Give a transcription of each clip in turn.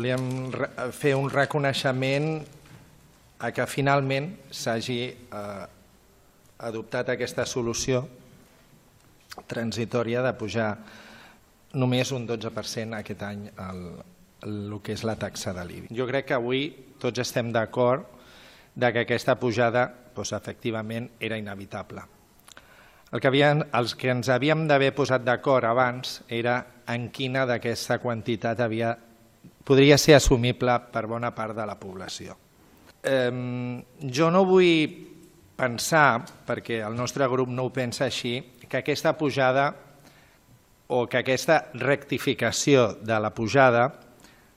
Volíem fer un reconeixement a que finalment s'hagi adoptat aquesta solució transitòria de pujar només un 12% aquest any el que és la taxa de l'IBI. Jo crec que avui tots estem d'acord que aquesta pujada efectivament era inevitable. Els que ens havíem d'haver posat d'acord abans era en quina d'aquesta quantitat podria ser assumible per bona part de la població. Jo no vull pensar, perquè el nostre grup no ho pensa així, que aquesta pujada o que aquesta rectificació de la pujada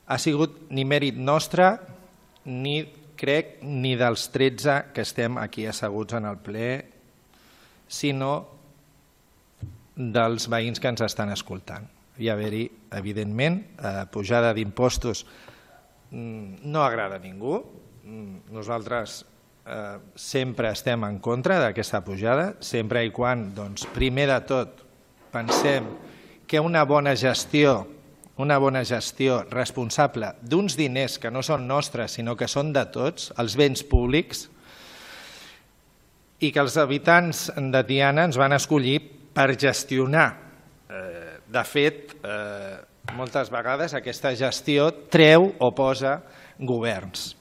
ha sigut ni mèrit nostre ni, crec, ni dels 13 que estem aquí asseguts en el ple, sinó dels veïns que ens estan escoltant. Hi ha d'haver-hi, evidentment, pujada d'impostos no agrada a ningú. Nosaltres sempre estem en contra d'aquesta pujada, sempre i quan, primer de tot, pensem que una bona gestió responsable d'uns diners que no són nostres, sinó que són de tots, els béns públics, i que els habitants de Tiana ens van escollir per gestionar. De fet, moltes vegades aquesta gestió treu o posa governs.